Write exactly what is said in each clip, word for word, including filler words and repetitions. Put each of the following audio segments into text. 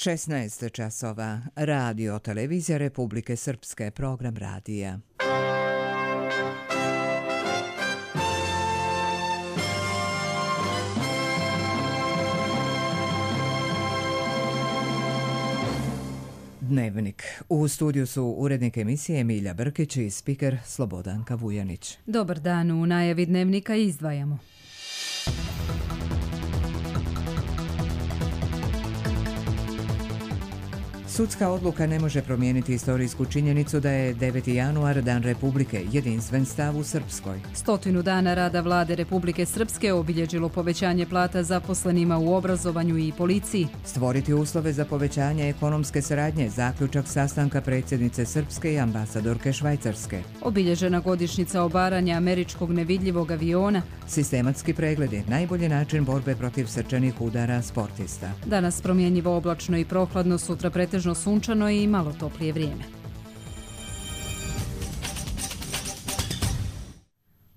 šesnaest časova. Radio Televizija Republike Srpske, program radija. Dnevnik. U studiju su urednik emisije Emilija Brkić i spiker Slobodanka Vujanić. Dobar dan, u najavi Dnevnika izdvajamo. Sudska odluka ne može promijeniti istorijsku činjenicu da je deveti januar Dan Republike, jedinstven stav u Srpskoj. Stotinu dana rada vlade Republike Srpske obilježilo povećanje plata zaposlenima u obrazovanju i policiji. Stvoriti uslove za povećanje ekonomske saradnje, zaključak sastanka predsjednice Srpske i ambasadorke Švajcarske. Obilježena godišnjica obaranja američkog nevidljivog aviona. Sistematski pregledi, najbolji način borbe protiv srčanih udara sportista. Danas promjenjivo oblačno i prohladno, sutra pretežno sunčano i malo toplije vrijeme.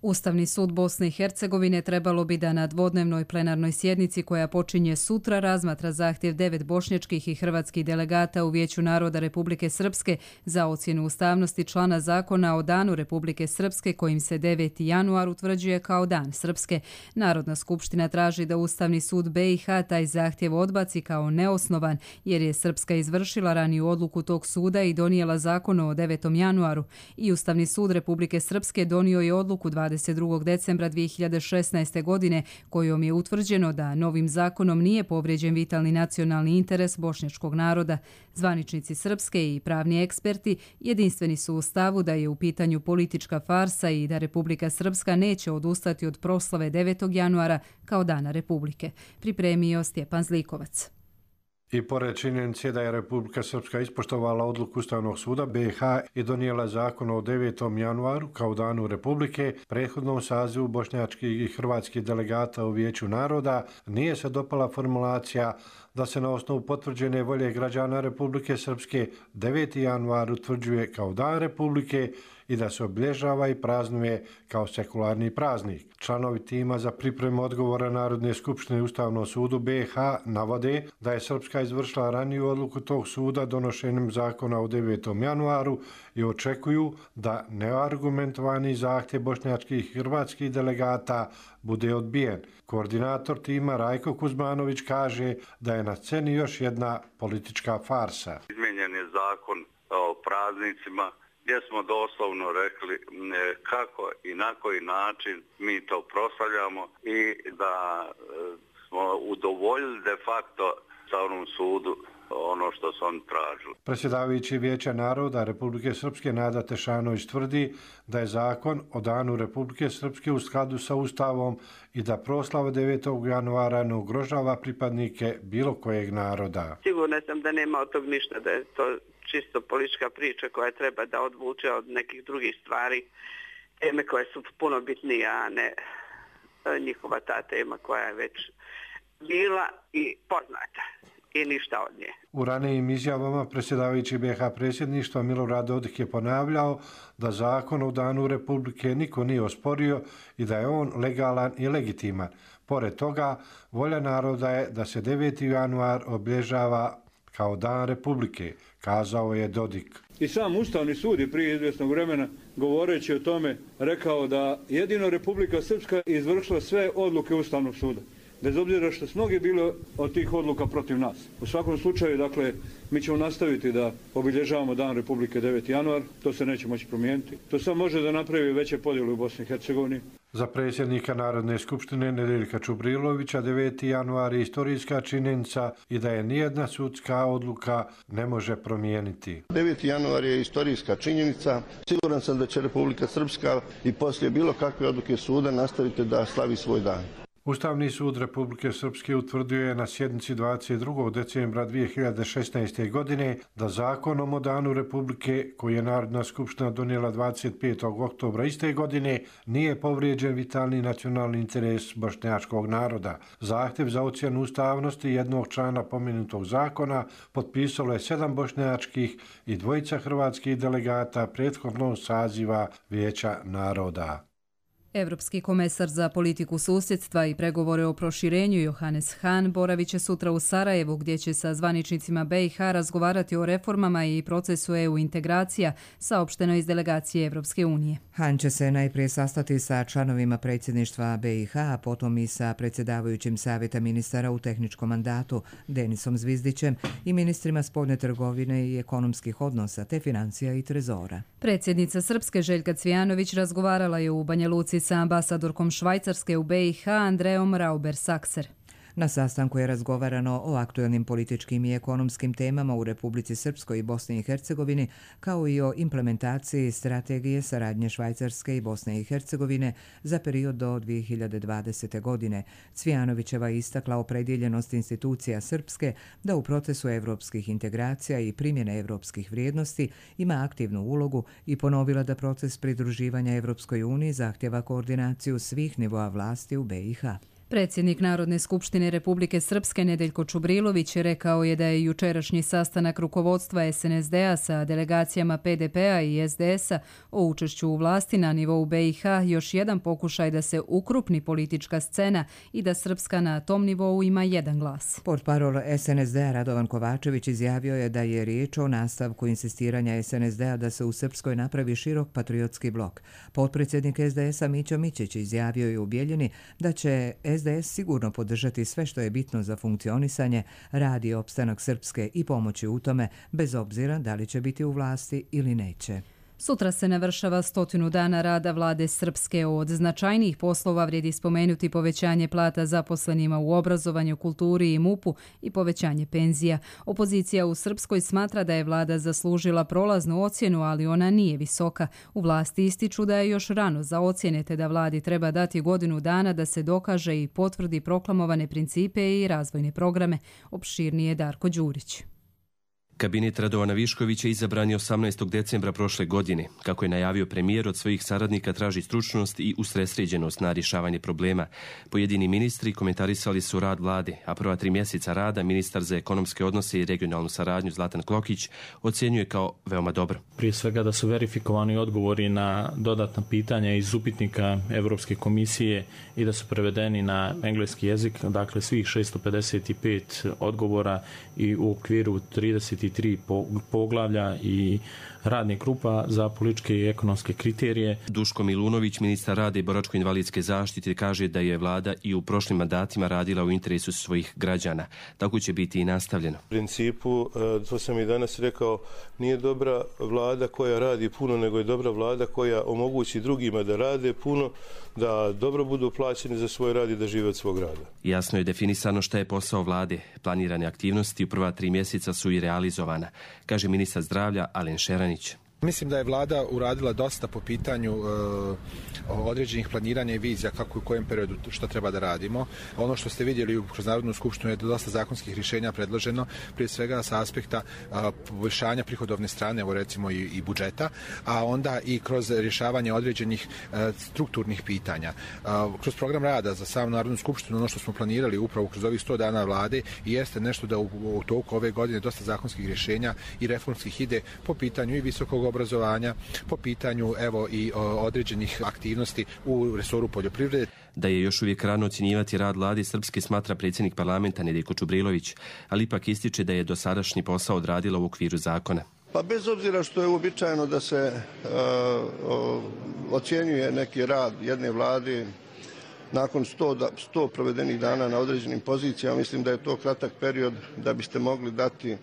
Ustavni sud Bosne i Hercegovine trebalo bi da na dvodnevnoj plenarnoj sjednici koja počinje sutra razmatra zahtjev devet bošnjačkih i hrvatskih delegata u Vijeću naroda Republike Srpske za ocjenu ustavnosti člana zakona o Danu Republike Srpske kojim se deveti januar utvrđuje kao Dan Srpske. Narodna skupština traži da Ustavni sud B i H taj zahtjev odbaci kao neosnovan jer je Srpska izvršila raniju odluku tog suda i donijela zakon o devetom januaru i Ustavni sud Republike Srpske donio je odluku dvadeset drugog decembra dvije hiljade šesnaeste. godine kojom je utvrđeno da novim zakonom nije povrijeđen vitalni nacionalni interes bošnjačkog naroda. Zvaničnici Srpske i pravni eksperti jedinstveni su u stavu da je u pitanju politička farsa i da Republika Srpska neće odustati od proslave devetog januara kao Dana Republike. Pripremio Stjepan Zlikovac. I pored činjenice da je Republika Srpska ispoštovala odluku Ustavnog suda B i H i donijela zakon o devetom januaru kao Danu Republike, prethodnom sazivu bošnjačkih i hrvatskih delegata u Vijeću naroda nije se dopala formulacija da se na osnovu potvrđene volje građana Republike Srpske deveti januar utvrđuje kao Dan Republike i da se obilježava i praznuje kao sekularni praznik. Članovi tima za pripremu odgovora Narodne skupštine Ustavnom sudu B i H navode da je Srpska izvršila raniju odluku tog suda donošenjem zakona o devetom januaru i očekuju da neargumentovani zahtjev bošnjačkih i hrvatskih delegata bude odbijen. Koordinator tima Rajko Kuzmanović kaže da je na sceni još jedna politička farsa. Izmijenjen je zakon o praznicima gdje smo doslovno rekli kako i na koji način mi to proslavljamo i da smo udovoljili de facto Ustavnom sudu ono što su oni tražili. Predsjedavajući Vijeća naroda Republike Srpske Nada Tešanović tvrdi da je zakon o Danu Republike Srpske u skladu sa Ustavom i da proslava devetog januara ne ugrožava pripadnike bilo kojeg naroda. Sigurna sam da nema od tog ništa, da je to čisto politička priča koja treba da odvuče od nekih drugih stvari, teme koje su puno bitnije, a ne njihova ta tema koja je već bila i poznata i ništa od nje. U ranijim izjavama predsjedavajući B i H predsjedništva Milorad Dodik je ponavljao da zakon o Danu Republike niko nije osporio i da je on legalan i legitiman. Pored toga, volja naroda je da se deveti januar obilježava kao Dan Republike, kazao je Dodik. I sam Ustavni sud je prije izvjesnog vremena govoreći o tome rekao da jedino Republika Srpska izvršila sve odluke Ustavnog suda, bez obzira što su mnogi bili od tih odluka protiv nas. U svakom slučaju, dakle, mi ćemo nastaviti da obilježavamo Dan Republike deveti januar, to se neće moći promijeniti. To samo može da napravi veće podjele u Bosni i Hercegovini. Za predsjednika Narodne skupštine Nedeljka Čubrilovića deveti januar je istorijska činjenica i da je nijedna sudska odluka ne može promijeniti. deveti januar je istorijska činjenica. Siguran sam da će Republika Srpska i poslije bilo kakve odluke suda nastaviti da slavi svoj dan. Ustavni sud Republike Srpske utvrdio je na sjednici dvadeset drugog decembra dvije hiljade šesnaeste. godine da zakonom o Danu Republike, koji je Narodna skupština donijela dvadeset petog oktobra iste godine, nije povrijeđen vitalni nacionalni interes bošnjačkog naroda. Zahtjev za ocjenu ustavnosti jednog člana pomenutog zakona potpisalo je sedam bošnjačkih i dvojica hrvatskih delegata prethodnog saziva Vijeća naroda. Europski komesar za politiku susjedstva i pregovore o proširenju Johannes Hahn boravit će sutra u Sarajevu gdje će sa zvaničnicima B i H razgovarati o reformama i procesu E U integracija, saopšteno iz delegacije Europske unije. Hahn će se najprije sastati sa članovima predsjedništva B i H, a potom i sa predsjedavajućim savjeta ministara u tehničkom mandatu Denisom Zvizdićem i ministrima spoljne trgovine i ekonomskih odnosa te financija i trezora. Predsjednica Srpske Željka Cvijanović razgovarala je u Banja Luci sa ambasadorkom Švajcarske u B i H Andreom Rauber-Sakser. Na sastanku je razgovarano o aktuelnim političkim i ekonomskim temama u Republici Srpskoj i Bosni i Hercegovini, kao i o implementaciji strategije saradnje Švajcarske i Bosne i Hercegovine za period do dvije hiljade dvadesete. godine. Cvijanovićeva je istakla opredjeljenost institucija Srpske da u procesu evropskih integracija i primjene evropskih vrijednosti ima aktivnu ulogu i ponovila da proces pridruživanja Evropskoj uniji zahtjeva koordinaciju svih nivoa vlasti u B i H. Predsjednik Narodne skupštine Republike Srpske Nedeljko Čubrilović rekao je da je jučerašnji sastanak rukovodstva S N S D-a sa delegacijama P D P-a i S D S-a o učešću u vlasti na nivou B i H još jedan pokušaj da se ukrupni politička scena i da Srpska na tom nivou ima jedan glas. Portparol S N S D-a Radovan Kovačević izjavio je da je riječ o nastavku insistiranja S N S D-a da se u Srpskoj napravi širok patriotski blok. Potpredsjednik S D S-a Mićo Mićić izjavio je u Bijeljini da će S D S sigurno podržati sve što je bitno za funkcionisanje, rad i opstanak Srpske i pomoći u tome, bez obzira da li će biti u vlasti ili neće. Sutra se navršava stotinu dana rada vlade Srpske. Od značajnijih poslova vrijedi spomenuti povećanje plata zaposlenima u obrazovanju, kulturi i M U P-u i povećanje penzija. Opozicija u Srpskoj smatra da je vlada zaslužila prolaznu ocjenu, ali ona nije visoka. U vlasti ističu da je još rano za ocjene te da vladi treba dati godinu dana da se dokaže i potvrdi proklamovane principe i razvojne programe. Opširnije Darko Đurić. Kabinet Radovana Viškovića izabran je osamnaestog decembra prošle godine. Kako je najavio premijer, od svojih saradnika traži stručnost i usredsređenost na rješavanje problema. Pojedini ministri komentarisali su rad vlade, a prva tri mjeseca rada ministar za ekonomske odnose i regionalnu saradnju Zlatan Klokić ocjenjuje kao veoma dobro. Prije svega da su verifikovani odgovori na dodatna pitanja iz upitnika Europske komisije i da su prevedeni na engleski jezik, dakle svih šesto pedeset pet odgovora i u okviru trideset tri poglavlja i radnih grupa za političke i ekonomske kriterije. Duško Milunović, ministar rada i boračko-invalidske zaštite, kaže da je vlada i u prošlim mandatima radila u interesu svojih građana. Tako će biti i nastavljeno. U principu, to sam i danas rekao, nije dobra vlada koja radi puno, nego je dobra vlada koja omogući drugima da rade puno, da dobro budu plaćeni za svoj rad i da žive od svog rada. Jasno je definisano šta je posao vlade. Planirane aktivnosti u prva tri mjeseca su i realizovana, kaže ministar zdravlja Alen Šeranić. Mislim da je vlada uradila dosta po pitanju e, određenih planiranja i vizija kako u kojem periodu što treba da radimo. Ono što ste vidjeli kroz Narodnu skupštinu je dosta zakonskih rješenja predloženo, prije svega sa aspekta a, poboljšanja prihodovne strane, evo recimo i, i budžeta, a onda i kroz rješavanje određenih a, strukturnih pitanja. A, kroz program rada za sam Narodnu skupštinu, ono što smo planirali upravo kroz ovih sto dana vlade, i jeste nešto da u, u toku ove godine dosta zakonskih rješenja i reformskih ide po pitanju i visokog obrazovanja, po pitanju evo i o, određenih aktivnosti u resoru poljoprivrede. Da je još uvijek rano ocjenjivati rad vlade Srpske, smatra predsjednik parlamenta Nedeljko Čubrilović, ali ipak ističe da je dosadašnji posao odradila u okviru zakona. Pa bez obzira što je uobičajeno da se uh, o, ocjenjuje neki rad jedne vlade nakon sto, da, sto provedenih dana na određenim pozicijama, mislim da je to kratak period da biste mogli dati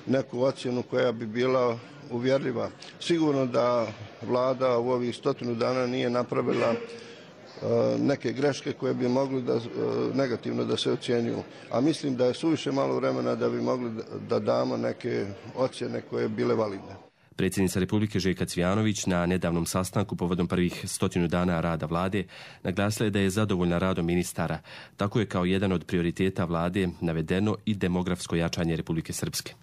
neku ocjenu koja bi bila uvjerljiva. Sigurno da vlada u ovih stotinu dana nije napravila uh, neke greške koje bi mogli da, uh, negativno da se ocjenjuju. A mislim da je suviše malo vremena da bi mogli da, da damo neke ocjene koje bi bile validne. Predsjednica Republike Željka Cvijanović na nedavnom sastanku povodom prvih stotinu dana rada vlade naglasila je da je zadovoljna radom ministara. Tako je kao jedan od prioriteta vlade navedeno i demografsko jačanje Republike Srpske.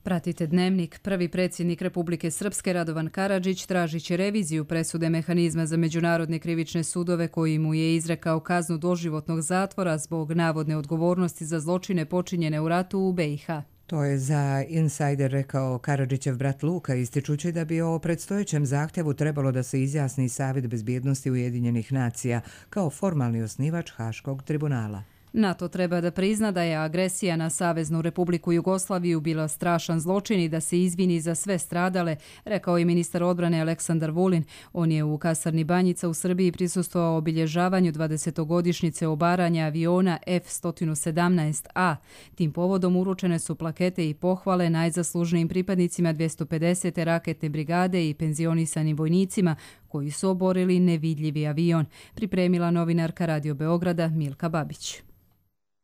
Pratite Dnevnik. Prvi predsjednik Republike Srpske Radovan Karadžić tražit će reviziju presude mehanizma za međunarodne krivične sudove koji mu je izrekao kaznu doživotnog zatvora zbog navodne odgovornosti za zločine počinjene u ratu u B i H. To je za Insider rekao Karadžićev brat Luka, ističući da bi o predstojećem zahtjevu trebalo da se izjasni Savjet bezbjednosti Ujedinjenih nacija kao formalni osnivač Haškog tribunala. NATO treba da prizna da je agresija na Saveznu Republiku Jugoslaviju bila strašan zločin i da se izvini za sve stradale, rekao je ministar odbrane Aleksandar Vulin. On je u kasarni Banjica u Srbiji prisustvovao obilježavanju dvadesetogodišnjice obaranja aviona F sto sedamnaest A. Tim povodom uručene su plakete i pohvale najzaslužnijim pripadnicima dvjesto pedesete raketne brigade i penzionisanim vojnicima koji su oborili nevidljivi avion, pripremila novinarka Radio Beograda Milka Babić.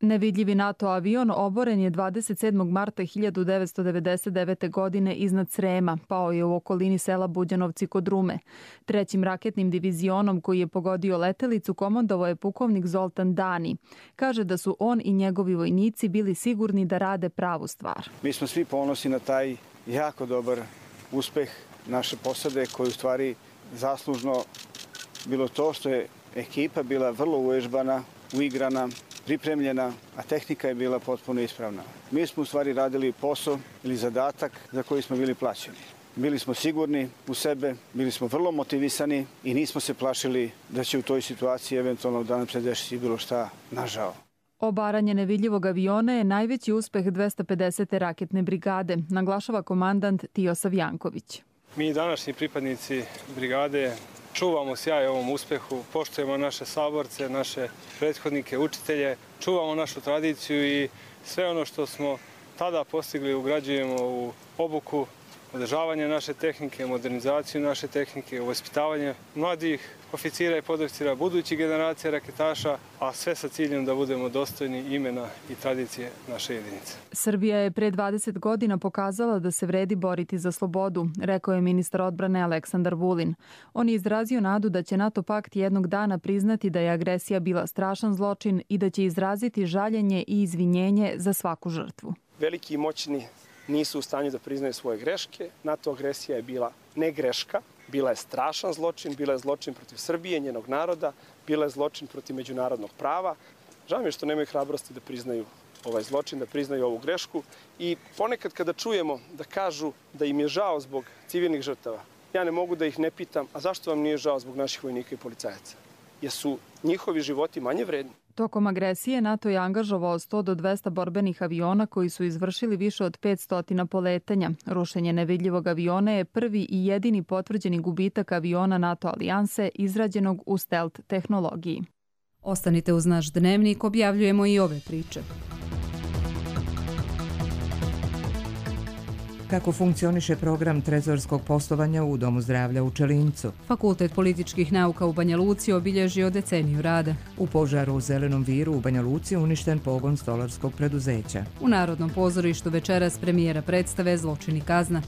Nevidljivi NATO avion oboren je dvadeset sedmog marta hiljadu devetsto devedeset devete. godine iznad Srema, pao je u okolini sela Buđanovci kod Rume. Trećim raketnim divizionom koji je pogodio letelicu komandovao je pukovnik Zoltan Dani. Kaže da su on i njegovi vojnici bili sigurni da rade pravu stvar. Mi smo svi ponosni na taj jako dobar uspeh naše posade koji u stvari zaslužno bilo to što je ekipa bila vrlo uvežbana, uigrana, pripremljena, a tehnika je bila potpuno ispravna. Mi smo u stvari radili posao ili zadatak za koji smo bili plaćeni. Bili smo sigurni u sebe, bili smo vrlo motivisani i nismo se plašili da će u toj situaciji eventualno da nam se desi bilo šta nažao. Obaranje nevidljivog aviona je najveći uspeh dvjesto pedesete raketne brigade, naglašava komandant Tijosav Janković. Mi današnji pripadnici brigade čuvamo sjaj ovom uspehu, poštujemo naše saborce, naše prethodnike, učitelje, čuvamo našu tradiciju i sve ono što smo tada postigli ugrađujemo u obuku, održavanje naše tehnike, modernizaciju naše tehnike, vaspitavanje mladih oficira i podoficira, budućih generacija raketaša, a sve sa ciljem da budemo dostojni imena i tradicije naše jedinice. Srbija je pre dvadeset godina pokazala da se vredi boriti za slobodu, rekao je ministar odbrane Aleksandar Vulin. On je izrazio nadu da će NATO pakt jednog dana priznati da je agresija bila strašan zločin i da će izraziti žaljenje i izvinjenje za svaku žrtvu. Veliki i moćni nisu u stanju da priznaju svoje greške. NATO agresija je bila ne greška, bila je strašan zločin, bila je zločin protiv Srbije, njenog naroda, bila je zločin protiv međunarodnog prava. Žao mi je što nemaju hrabrosti da priznaju ovaj zločin, da priznaju ovu grešku i ponekad kada čujemo da kažu da im je žao zbog civilnih žrtava, ja ne mogu da ih ne pitam, a zašto vam nije žao zbog naših vojnika i policajaca? Jesu njihovi životi manje vredni? Tokom agresije NATO je angažovao sto do dvesta borbenih aviona koji su izvršili više od petsto poletanja. Rušenje nevidljivog aviona je prvi i jedini potvrđeni gubitak aviona NATO alijanse izrađenog u stealth tehnologiji. Ostanite uz naš dnevnik, objavljujemo i ove priče. Kako funkcioniše program trezorskog poslovanja u Domu zdravlja u Čelincu? Fakultet političkih nauka u Banja Luci obilježio deceniju rada. U požaru u Zelenom viru u Banja Luci uništen pogon stolarskog preduzeća. U Narodnom pozorištu večeras premijera predstave Zločin i kazna.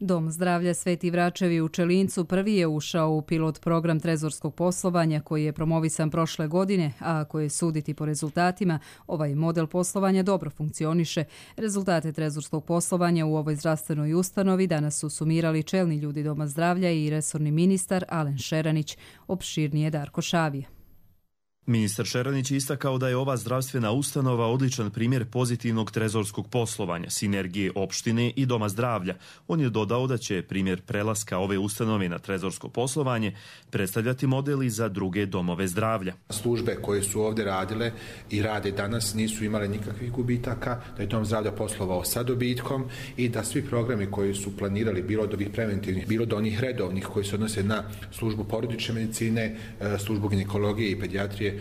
Dom zdravlja Sveti Vračevi u Čelincu prvi je ušao u pilot program trezorskog poslovanja koji je promovisan prošle godine, a ako je suditi po rezultatima, ovaj model poslovanja dobro funkcioniše. Rezultate trezorskog poslovanja u ovoj zdravstvenoj ustanovi danas su sumirali čelni ljudi Doma zdravlja i resorni ministar Alen Šeranić, opširnije Darko Šavije. Ministar Šeranić je istakao da je ova zdravstvena ustanova odličan primjer pozitivnog trezorskog poslovanja, sinergije opštine i Doma zdravlja. On je dodao da će primjer prelaska ove ustanove na trezorsko poslovanje predstavljati modeli za druge domove zdravlja. Službe koje su ovdje radile i rade danas nisu imale nikakvih gubitaka, da je Dom zdravlja poslovao sa dobitkom i da svi programi koji su planirali, bilo od ovih preventivnih, bilo do onih redovnih koji se odnose na službu porodične medicine, službu ginekologije i pedijatrije,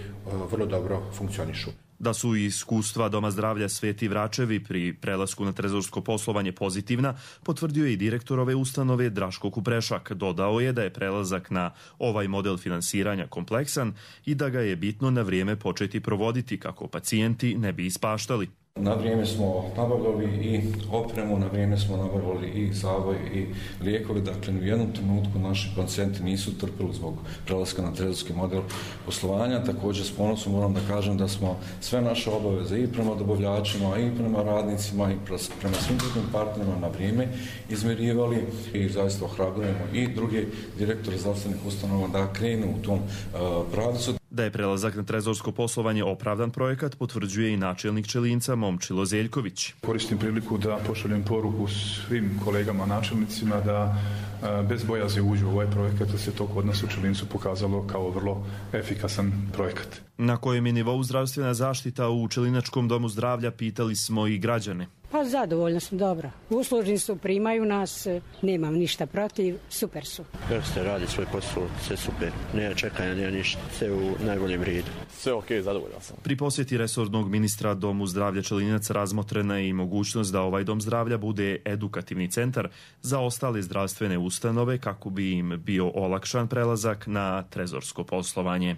vrlo dobro funkcionišu. Da su iskustva Doma zdravlja Sveti Vračevi pri prelasku na trezorsko poslovanje pozitivna, potvrdio je i direktor ove ustanove Draško Kuprešak. Dodao je da je prelazak na ovaj model finansiranja kompleksan i da ga je bitno na vrijeme početi provoditi kako pacijenti ne bi ispaštali. Na vrijeme smo nabavljali i opremu, na vrijeme smo nabavljali i zavoj i lijekove, dakle u jednom trenutku naši pacijenti nisu trpili zbog prelaska na trezorski model poslovanja. Također s ponosom moram da kažem da smo sve naše obaveze i prema dobavljačima i prema radnicima i prema svim drugim partnerima na vrijeme izmirivali i zaista ohrabrujemo i druge direktore zdravstvenih ustanova da krenu u tom uh, pravcu. Da je prelazak na trezorsko poslovanje opravdan projekat potvrđuje i načelnik Čelinca Momčilo Zeljković. Koristim priliku da pošaljem poruku svim kolegama načelnicima da bez bojazi uđu u ovaj projekat, da se to kod nas u Čelincu pokazalo kao vrlo efikasan projekat. Na kojem je nivou zdravstvena zaštita u Čelinačkom domu zdravlja, pitali smo i građane. Pa zadovoljna sam, dobro. Uslužni su, primaju nas, nemam ništa protiv, super su. Kako ste radi svoj posao, sve super. Nema čekanja, nema ništa, sve u najboljem redu. Sve ok, zadovoljan sam. Pri posjeti resornog ministra Domu zdravlja Čelinac razmotrena je i mogućnost da ovaj dom zdravlja bude edukativni centar za ostale zdravstvene ustanove kako bi im bio olakšan prelazak na trezorsko poslovanje.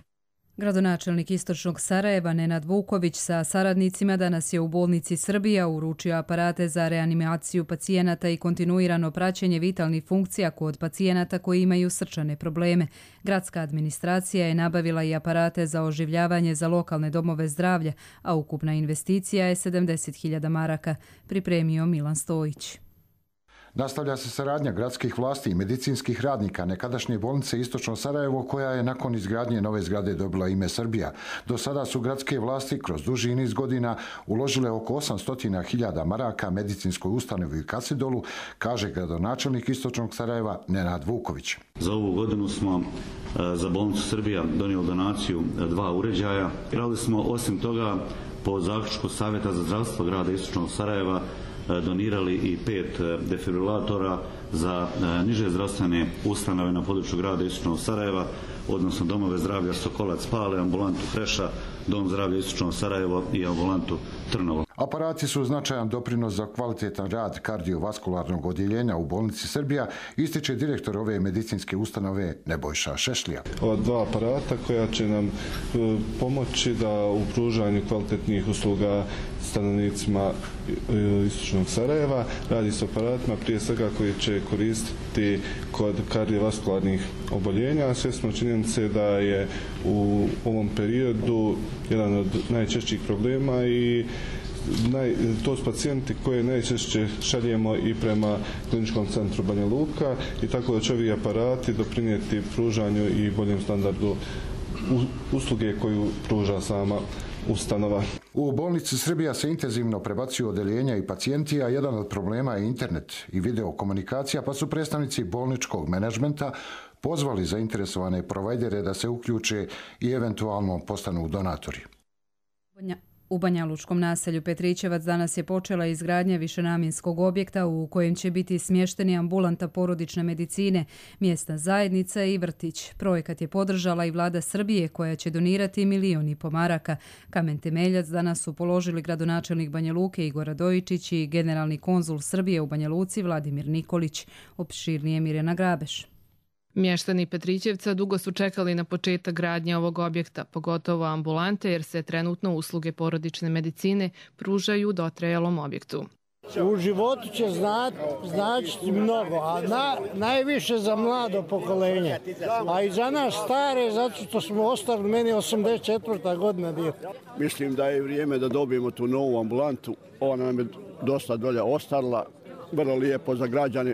Gradonačelnik Istočnog Sarajeva Nenad Vuković sa saradnicima danas je u bolnici Srbija uručio aparate za reanimaciju pacijenata i kontinuirano praćenje vitalnih funkcija kod pacijenata koji imaju srčane probleme. Gradska administracija je nabavila i aparate za oživljavanje za lokalne domove zdravlja, a ukupna investicija je sedamdeset hiljada maraka, pripremio Milan Stojić. Nastavlja se saradnja gradskih vlasti i medicinskih radnika nekadašnje bolnice Istočno Sarajevo, koja je nakon izgradnje nove zgrade dobila ime Srbija. Do sada su gradske vlasti kroz duži niz godina uložile oko osamsto hiljada maraka medicinskoj ustanovi u Kasidolu, kaže gradonačelnik Istočnog Sarajeva Nenad Vuković. Za ovu godinu smo za bolnicu Srbija donijeli donaciju dva uređaja. Radili smo osim toga po zaključku Savjeta za zdravstvo grada Istočnog Sarajeva donirali i pet defibrilatora za niže zdravstvene ustanove na području grada Istočnog Sarajeva, odnosno domove zdravlja Sokolac Pale, ambulantu Kreša, dom zdravlja Istočno Sarajevo i ambulantu Trnovo. Aparati su značajan doprinos za kvalitetan rad kardiovaskularnog odjeljenja u bolnici Srbija, ističe direktor ove medicinske ustanove Nebojša Šešlija. Ova dva aparata koja će nam pomoći da u pružanju kvalitetnih usluga stanovnicima Istočnog Sarajeva. Radi se o aparatima prije svega koji će koristiti kod kardiovaskularnih oboljenja. Svjesno činjenice da je u ovom periodu jedan od najčešćih problema i Naj, to su pacijenti koje najčešće šaljemo i prema kliničkom centru Banja Luka i tako da će ovi aparati doprinijeti pružanju i boljem standardu usluge koju pruža sama ustanova. U bolnici Srbija se intenzivno prebacuju odeljenja i pacijenti, a jedan od problema je internet i videokomunikacija, pa su predstavnici bolničkog menadžmenta pozvali zainteresovane provajdere da se uključe i eventualno postanu donatori. U Banja Lučkom naselju Petrićevac danas je počela izgradnja višenamjenskog objekta u kojem će biti smješteni ambulanta porodične medicine, mjesna zajednica i vrtić. Projekat je podržala i vlada Srbije koja će donirati milijun i po maraka. Kamen temeljac danas su položili gradonačelnik Banja Luke Igor Radojičić i generalni konzul Srbije u Banja Luci Vladimir Nikolić. Opširnije Mirjana Grabeš. Mještani Petrićevca dugo su čekali na početak gradnje ovog objekta, pogotovo ambulante, jer se trenutno usluge porodične medicine pružaju u dotrajalom objektu. U životu će znati, značiti mnogo, a na, najviše za mlado pokolenje. A i za nas stare, zato što smo ostali, meni osamdeset četvrta godina djeta. Mislim da je vrijeme da dobijemo tu novu ambulantu. Ona nam je dosta dolje ostala, vrlo lijepo za građane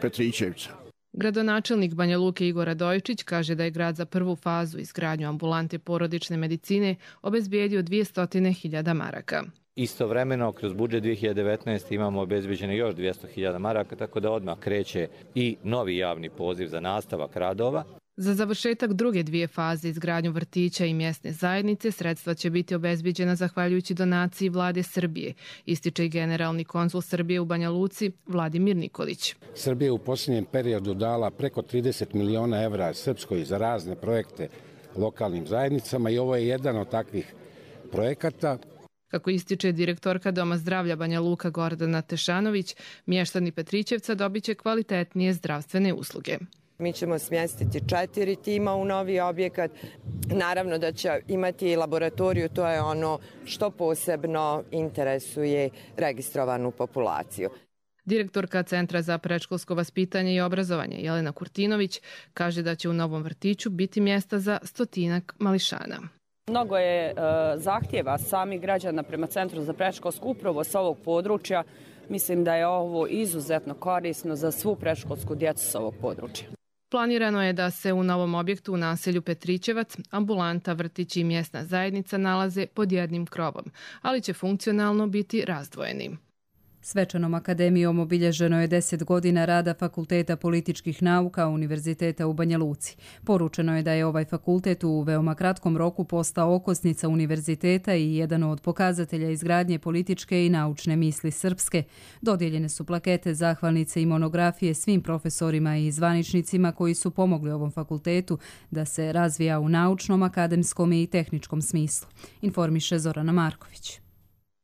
Petrićevca. Gradonačelnik Banja Luke Igor Radojičić kaže da je grad za prvu fazu izgradnju ambulante porodične medicine obezbijedio dvjesto hiljada maraka. Istovremeno, kroz budžet dvije hiljade devetnaeste. imamo obezbeđeno još dvjesto hiljada maraka, tako da odmah kreće i novi javni poziv za nastavak radova. Za završetak druge dvije faze izgradnju vrtića i mjesne zajednice sredstva će biti obezbijeđena zahvaljujući donaciji vlade Srbije, ističe i generalni konzul Srbije u Banja Luci Vladimir Nikolić. Srbija je u posljednjem periodu dala preko trideset miliona evra Srpskoj za razne projekte lokalnim zajednicama i ovo je jedan od takvih projekata. Kako ističe direktorka Doma zdravlja Banja Luka Gordana Tešanović, mještani Petrićevca dobit će kvalitetnije zdravstvene usluge. Mi ćemo smjestiti četiri tima u novi objekat. Naravno da će imati i laboratoriju, to je ono što posebno interesuje registrovanu populaciju. Direktorka Centra za predškolsko vaspitanje i obrazovanje Jelena Kurtinović kaže da će u novom vrtiću biti mjesta za stotinak mališana. Mnogo je e, zahtjeva samih građana prema Centru za predškolsku upravo s ovog područja. Mislim da je ovo izuzetno korisno za svu predškolsku djecu s ovog područja. Planirano je da se u novom objektu u naselju Petrićevac ambulanta, vrtić i mjesna zajednica nalaze pod jednim krovom, ali će funkcionalno biti razdvojeni. Svečanom akademijom obilježeno je deset godina rada Fakulteta političkih nauka Univerziteta u Banja Luci. Poručeno je da je ovaj fakultet u veoma kratkom roku postao okosnica univerziteta i jedan od pokazatelja izgradnje političke i naučne misli srpske. Dodijeljene su plakete, zahvalnice i monografije svim profesorima i zvaničnicima koji su pomogli ovom fakultetu da se razvija u naučnom, akademskom i tehničkom smislu. Informiše Zorana Marković.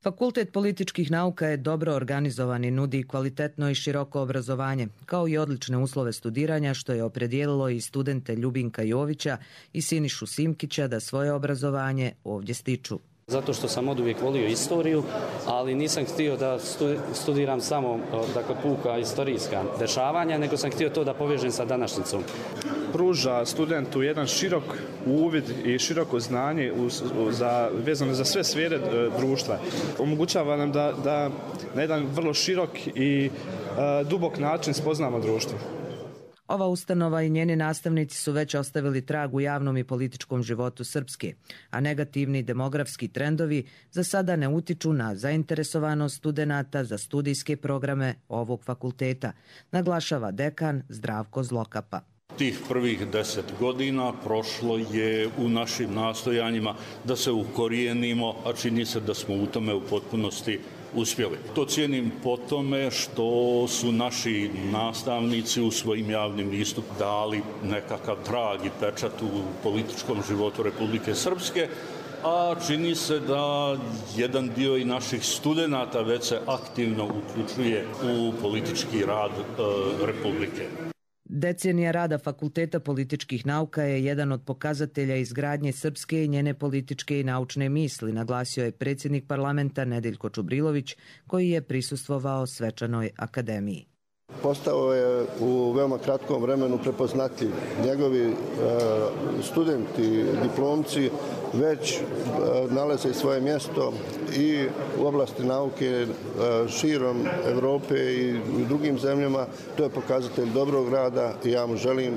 Fakultet političkih nauka je dobro organizovan i nudi kvalitetno i široko obrazovanje, kao i odlične uslove studiranja, što je opredijelilo i studente Ljubinka Jovića i Sinišu Simkića da svoje obrazovanje ovdje stiču. Zato što sam od uvijek volio istoriju, ali nisam htio da studiram samo dakle, puka istorijska dešavanja, nego sam htio to da povežem sa današnjicom. Pruža studentu jedan širok uvid i široko znanje za, vezano za sve sfere društva. Omogućava nam da, da na jedan vrlo širok i uh, dubok način spoznamo društvo. Ova ustanova i njeni nastavnici su već ostavili trag u javnom i političkom životu Srpske, a negativni demografski trendovi za sada ne utiču na zainteresovanost studenata za studijske programe ovog fakulteta, naglašava dekan Zdravko Zlokapa. Tih prvih deset godina prošlo je u našim nastojanjima da se ukorijenimo, a čini se da smo u tome u potpunosti uspjeli. To cijenim po tome što su naši nastavnici u svojim javnim istupima dali nekakav trag i pečat u političkom životu Republike Srpske, a čini se da jedan dio i naših studenata već se aktivno uključuje u politički rad e, Republike. Decenija rada Fakulteta političkih nauka je jedan od pokazatelja izgradnje srpske i njene političke i naučne misli, naglasio je predsjednik parlamenta Nedeljko Čubrilović, koji je prisustvovao svečanoj akademiji. Postao je u veoma kratkom vremenu prepoznatljiv. Njegovi e, studenti, diplomci već e, nalaze svoje mjesto i u oblasti nauke e, širom Evrope i u drugim zemljama. To je pokazatelj dobrog rada i ja mu želim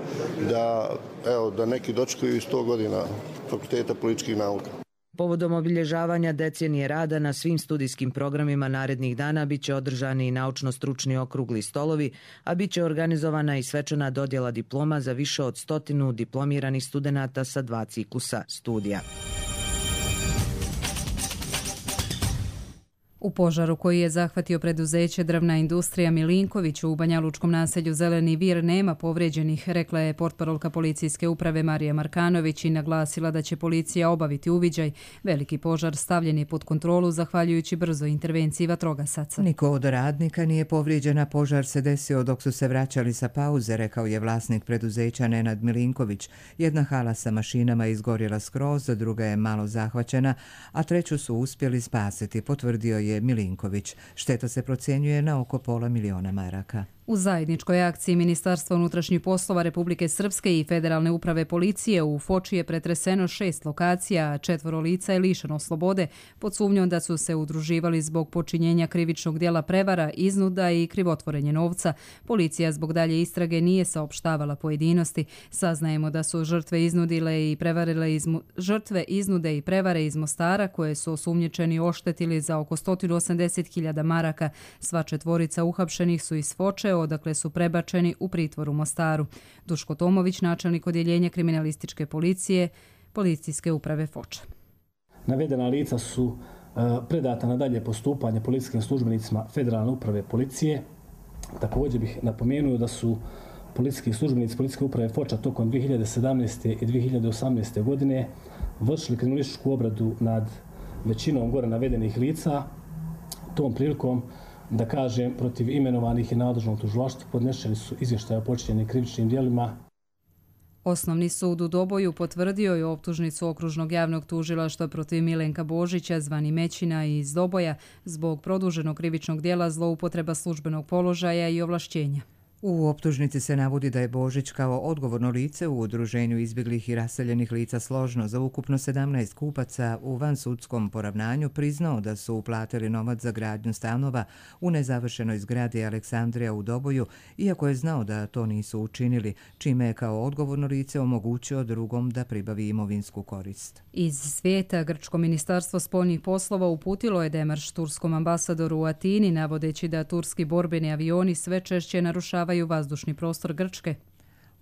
da, evo, da neki dočekaju i sto godina Fakulteta političkih nauka. Povodom obilježavanja decenije rada na svim studijskim programima narednih dana biće održani i naučno-stručni okrugli stolovi, a biće organizovana i svečana dodjela diploma za više od stotinu diplomiranih studenata sa dva ciklusa studija. U požaru koji je zahvatio preduzeće Drvna industrija Milinković u banjalučkom naselju Zeleni vir nema povrijeđenih, rekla je portparolka policijske uprave Marija Markanović i naglasila da će policija obaviti uviđaj. Veliki požar stavljen je pod kontrolu zahvaljujući brzoj intervenciji vatrogasaca. Niko od radnika nije povrijeđena, požar se desio dok su se vraćali sa pauze, rekao je vlasnik preduzeća Nenad Milinković. Jedna hala sa mašinama izgorjela skroz, druga je malo zahvaćena, a treću su uspjeli spasiti, potvrdio je Milinković. Šteta se procjenjuje na oko pola miliona maraka. U zajedničkoj akciji Ministarstva unutrašnjih poslova Republike Srpske i Federalne uprave policije u Foči je pretreseno šest lokacija, a četvoro lica je lišeno slobode pod sumnjom da su se udruživali zbog počinjenja krivičnog djela prevara, iznuda i krivotvorenje novca. Policija zbog dalje istrage nije saopštavala pojedinosti. Saznajemo da su žrtve iznudile i prevarile iz, žrtve iznude i prevare iz Mostara koje su osumnjičeni oštetili za oko sto osamdeset hiljada maraka. Sva četvorica uhapšenih su iz Foče, odakle su prebačeni u pritvor u Mostaru. Duško Tomović, načelnik odjeljenja kriminalističke policije, policijske uprave Foča. Navedena lica su uh, predata na dalje postupanje policijskim službenicima Federalne uprave policije. Također bih napomenuo da su policijski službenici policijske uprave Foča tokom dvije hiljade sedamnaeste. i dvije hiljade osamnaeste. godine vršili kriminalističku obradu nad većinom gore navedenih lica. Tom prilikom, da kažem, protiv imenovanih i nadležnog tužilaštva podneseni su izvještaje o počinjenim krivičnim djelima. Osnovni sud u Doboju potvrdio je optužnicu okružnog javnog tužilaštva protiv Milenka Božića, zvani Mećina iz Doboja, zbog produženog krivičnog djela zloupotreba službenog položaja i ovlašćenja. U optužnici se navodi da je Božić kao odgovorno lice u udruženju izbjeglih i raseljenih lica Složno za ukupno sedamnaest kupaca u vansudskom poravnanju priznao da su uplatili novac za gradnju stanova u nezavršenoj zgradi Aleksandrija u Doboju, iako je znao da to nisu učinili, čime je kao odgovorno lice omogućio drugom da pribavi imovinsku korist. Iz svijeta Grčko ministarstvo spoljnih poslova uputilo je demarš turskom ambasadoru u Atini, navodeći da turski borbeni avioni sve češće narušavaju vazdušni prostor Grčke.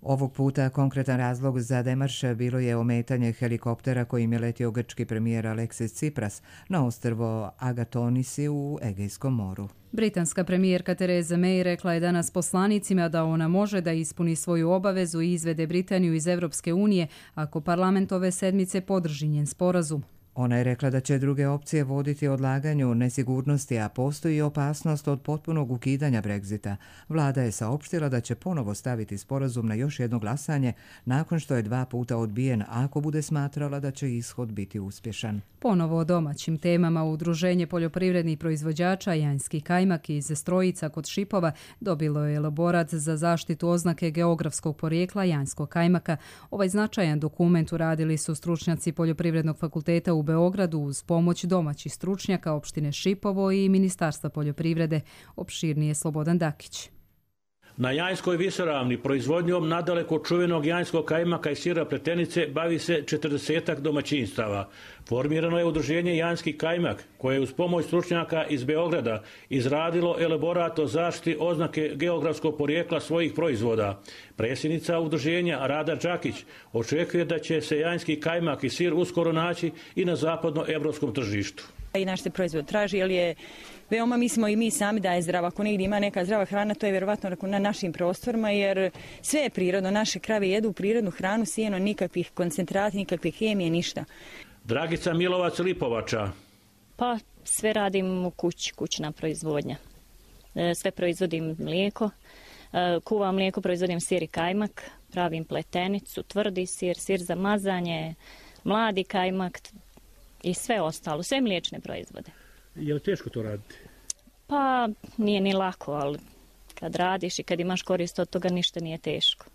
Ovog puta konkretan razlog za demarš bilo je ometanje helikoptera kojim je letio grčki premijer Aleksis Tsipras na ostrvo Agatonisi u Egejskom moru. Britanska premijerka Theresa May rekla je danas poslanicima da ona može da ispuni svoju obavezu i izvede Britaniju iz Europske unije ako parlament ove sedmice podrži njen sporazum. Ona je rekla da će druge opcije voditi odlaganju nesigurnosti, a postoji opasnost od potpunog ukidanja Brexita. Vlada je saopštila da će ponovo staviti sporazum na još jedno glasanje nakon što je dva puta odbijen ako bude smatrala da će ishod biti uspješan. Ponovo o domaćim temama. Udruženje poljoprivrednih proizvođača Janjski kajmak iz Strojica kod Šipova dobilo je elaborat za zaštitu oznake geografskog porijekla Janjskog kajmaka. Ovaj značajan dokument uradili su stručnjaci Poljoprivrednog fakulteta u Beogradu uz pomoć domaćih stručnjaka opštine Šipovo i Ministarstva poljoprivrede. Opširnije Slobodan Dakić. Na Janjskoj visoravni proizvodnjom nadaleko čuvenog janjskog kajmaka i sira pletenice bavi se četrdesetak domaćinstava. Formirano je udruženje Janjski kajmak, koje je uz pomoć stručnjaka iz Beograda izradilo elaborat o zaštiti oznake geografskog porijekla svojih proizvoda. Predsjednica udruženja Rada Đakić očekuje da će se janjski kajmak i sir uskoro naći i na zapadnoevropskom tržištu. I naš se proizvod traži, jer je veoma, mislimo i mi sami da je zdrava. Ako negdje ima neka zdrava hrana, to je vjerovatno na našim prostorima, jer sve je prirodno. Naše krave jedu prirodnu hranu, sijeno, nikakvih koncentrata, nikakve hemije, ništa. Dragica Milovac Lipovača. Pa sve radim u kući, kućna proizvodnja. Sve proizvodim mlijeko, kuvam mlijeko, proizvodim sir i kajmak, pravim pletenicu, tvrdi sir, sir za mazanje, mladi kajmak i sve ostalo, sve mliječne proizvode. Je li teško to raditi? Pa nije ni lako, ali kad radiš i kad imaš korist od toga ništa nije teško.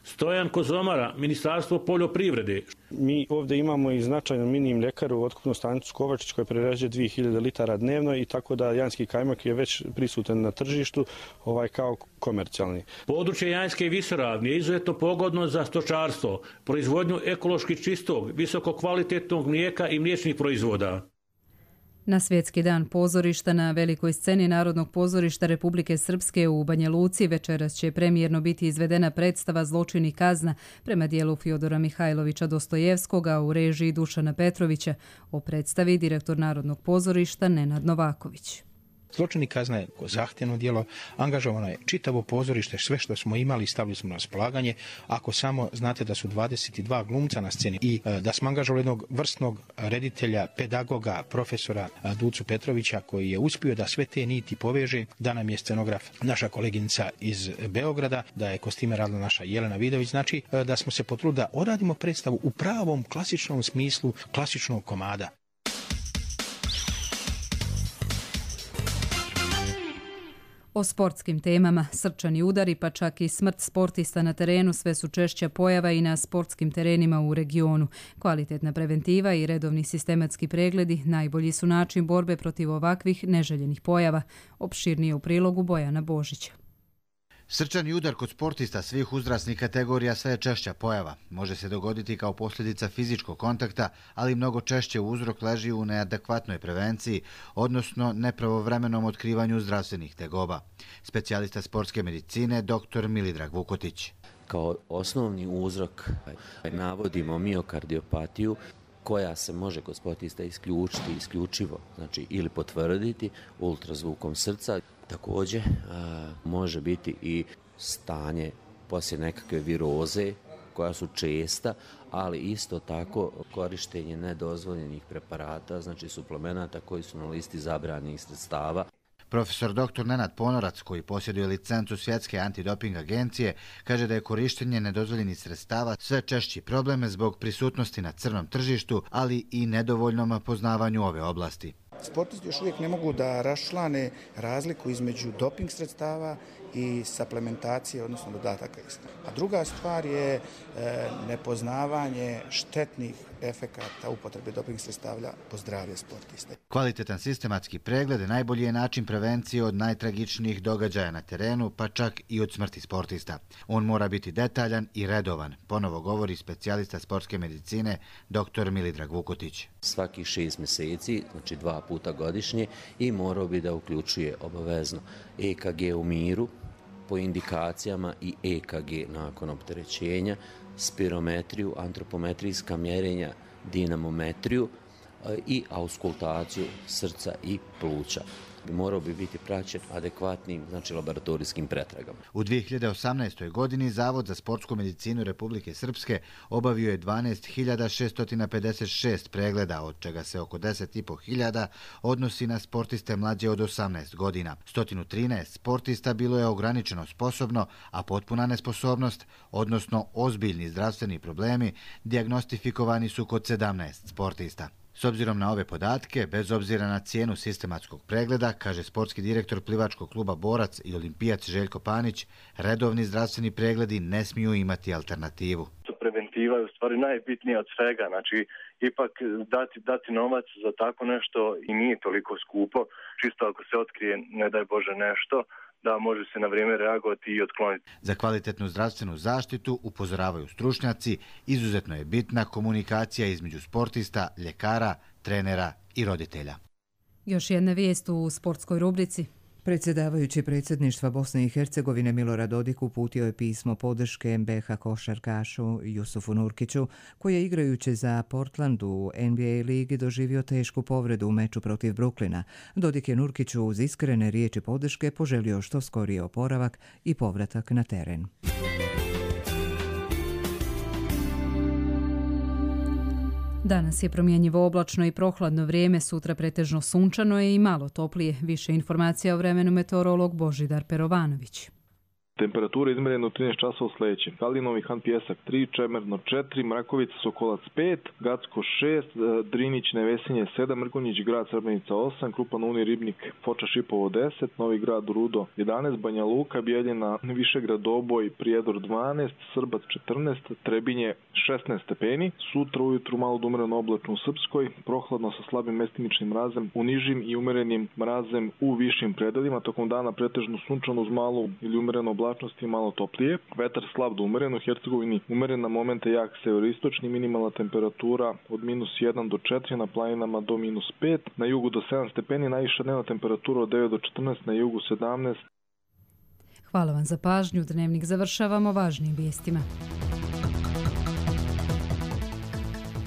Stojan Kozomara, Ministarstvo poljoprivrede. Mi ovdje imamo i značajnu mini mljekaru, otkupnu stanicu Kovačić koja prerađuje dvije hiljade litara dnevno i tako da janjski kajmak je već prisutan na tržištu ovaj kao komercijalni. Područje Janjske visoravni je izuzetno pogodno za stočarstvo, proizvodnju ekološki čistog, visoko kvalitetnog mlijeka i mliječnih proizvoda. Na Svjetski dan pozorišta na velikoj sceni Narodnog pozorišta Republike Srpske u Banja Luci večeras će premijerno biti izvedena predstava Zločin i kazna prema dijelu Fjodora Mihajlovića Dostojevskoga u režiji Dušana Petrovića. O predstavi direktor Narodnog pozorišta Nenad Novaković. Zločin i kazna je zahtjevno djelo, angažovano je čitavo pozorište, sve što smo imali stavili smo na raspolaganje. Ako samo znate da su dvadeset dva glumca na sceni i da smo angažovali jednog vrstnog reditelja, pedagoga, profesora Ducu Petrovića koji je uspio da sve te niti poveže, da nam je scenograf naša koleginica iz Beograda, da je kostime radila naša Jelena Vidović, znači da smo se potrudili da odradimo predstavu u pravom klasičnom smislu klasičnog komada. O sportskim temama, srčani udari pa čak i smrt sportista na terenu sve su češća pojava i na sportskim terenima u regionu. Kvalitetna preventiva i redovni sistematski pregledi najbolji su način borbe protiv ovakvih neželjenih pojava. Opširnije u prilogu Bojana Božića. Srčani udar kod sportista svih uzrasnih kategorija sve je češća pojava. Može se dogoditi kao posljedica fizičkog kontakta, ali mnogo češće uzrok leži u neadekvatnoj prevenciji, odnosno nepravovremenom otkrivanju zdravstvenih tegoba. Specijalista sportske medicine dr. Milidrag Vukotić. Kao osnovni uzrok navodimo miokardiopatiju, koja se može kod sportista isključiti isključivo, znači ili potvrditi ultrazvukom srca. Također a, može biti i stanje poslije nekakve viroze koja su česta, ali isto tako korištenje nedozvoljenih preparata, znači suplemenata koji su na listi zabranjenih sredstava. Profesor doktor Nenad Ponorac, koji posjeduje licencu Svjetske antidoping agencije, kaže da je korištenje nedozvoljenih sredstava sve češći problem zbog prisutnosti na crnom tržištu, ali i nedovoljnom poznavanju ove oblasti. Sportisti još uvijek ne mogu da raščlane razliku između doping sredstava i suplementacije, odnosno dodataka iste. A druga stvar je e, nepoznavanje štetnih efekata upotrebe doping sredstava po zdravlje sportista. Kvalitetan sistematski pregled najbolji je način prevencije od najtragičnijih događaja na terenu, pa čak i od smrti sportista. On mora biti detaljan i redovan, ponovo govori specijalista sportske medicine dr. Milidrag Vukotić. Svaki šest mjeseci, znači dva puta godišnje, i morao bi da uključuje obavezno E K G u miru po indikacijama i E K G nakon opterećenja, spirometriju, antropometrijska mjerenja, dinamometriju i auskultaciju srca i pluća. Morao bi biti praćen adekvatnim, znači laboratorijskim pretragama. U dvije hiljade osamnaestoj. godini Zavod za sportsku medicinu Republike Srpske obavio je dvanaest hiljada šesto pedeset šest pregleda, od čega se oko deset i po hiljada odnosi na sportiste mlađe od osamnaest godina. sto trinaest sportista bilo je ograničeno sposobno, a potpuna nesposobnost, odnosno ozbiljni zdravstveni problemi, dijagnostifikovani su kod sedamnaest sportista. S obzirom na ove podatke, bez obzira na cijenu sistematskog pregleda, kaže sportski direktor plivačkog kluba Borac i olimpijac Željko Panić, redovni zdravstveni pregledi ne smiju imati alternativu. Preventiva je u stvari najbitnija od svega, znači ipak dati, dati novac za tako nešto i nije toliko skupo, čisto ako se otkrije, ne daj Bože, nešto, da može se na vrijeme reagovati i otkloniti. Za kvalitetnu zdravstvenu zaštitu, upozoravaju stručnjaci, izuzetno je bitna komunikacija između sportista, ljekara, trenera i roditelja. Još jedna vijest u sportskoj rubrici. Predsjedavajući predsjedništva Bosne i Hercegovine Milorad Dodik uputio je pismo podrške M B H košarkašu Jusufu Nurkiću, koji je igrajući za Portland u N B A ligi doživio tešku povredu u meču protiv Brooklyna. Dodik je Nurkiću uz iskrene riječi podrške poželio što skoriji oporavak i povratak na teren. Danas je promjenjivo oblačno i prohladno vrijeme, sutra pretežno sunčano je i malo toplije. Više informacija o vremenu meteorolog Božidar Perovanović. Temperatura izmjerena u trinaest časova sljedeće. Kalinov i Han Pjesak tri, Čemerno četiri, Mrakovica Sokolac pet, Gacko šest, Drinić Nevesinje sedam, Mrkonjić Grad Srbenica osam, Krupan Uni Ribnik Foča Šipovo deset, Novi Grad Rudo jedanaest, Banja Luka, Bijeljina, Višegrad Doboj, Prijedor dvanaest, Srbac četrnaest, Trebinje šesnaest stepeni. Sutra ujutru malo umereno oblačno u Srpskoj, prohladno sa slabim mestimičnim mrazem u nižim i umerenim mrazem u višim predelima. Tokom dana pretežno sunčano uz malu ili umereno oblačnosti i malo toplije. Vetar slab do umeren, u Hercegovini umeren na momente jak severistočni, minimalna temperatura od minus jedan do četiri, na planinama do minus pet, na jugu do sedam stepeni, najviša dnevna temperatura od devet do četrnaest, na jugu sedamnaest. Hvala vam za pažnju. Dnevnik završavamo važnim vijestima.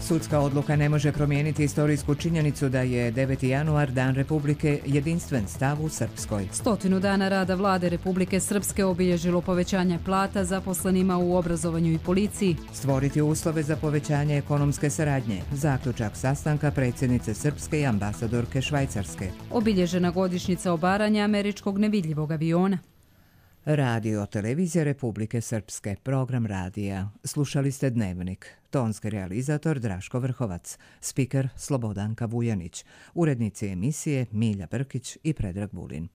Sudska odluka ne može promijeniti istorijsku činjenicu da je deveti januar Dan Republike jedinstven stav u Srpskoj. Stotinu dana rada vlade Republike Srpske obilježilo povećanje plata zaposlenima u obrazovanju i policiji. Stvoriti uslove za povećanje ekonomske saradnje. Zaključak sastanka predsjednice Srpske i ambasadorke Švajcarske. Obilježena godišnjica obaranja američkog nevidljivog aviona. Radio Televizija Republike Srpske, program radija. Slušali ste Dnevnik. Tonski realizator Draško Vrhovac, spiker Slobodanka Vujanić, urednici emisije Milja Brkić i Predrag Vulin.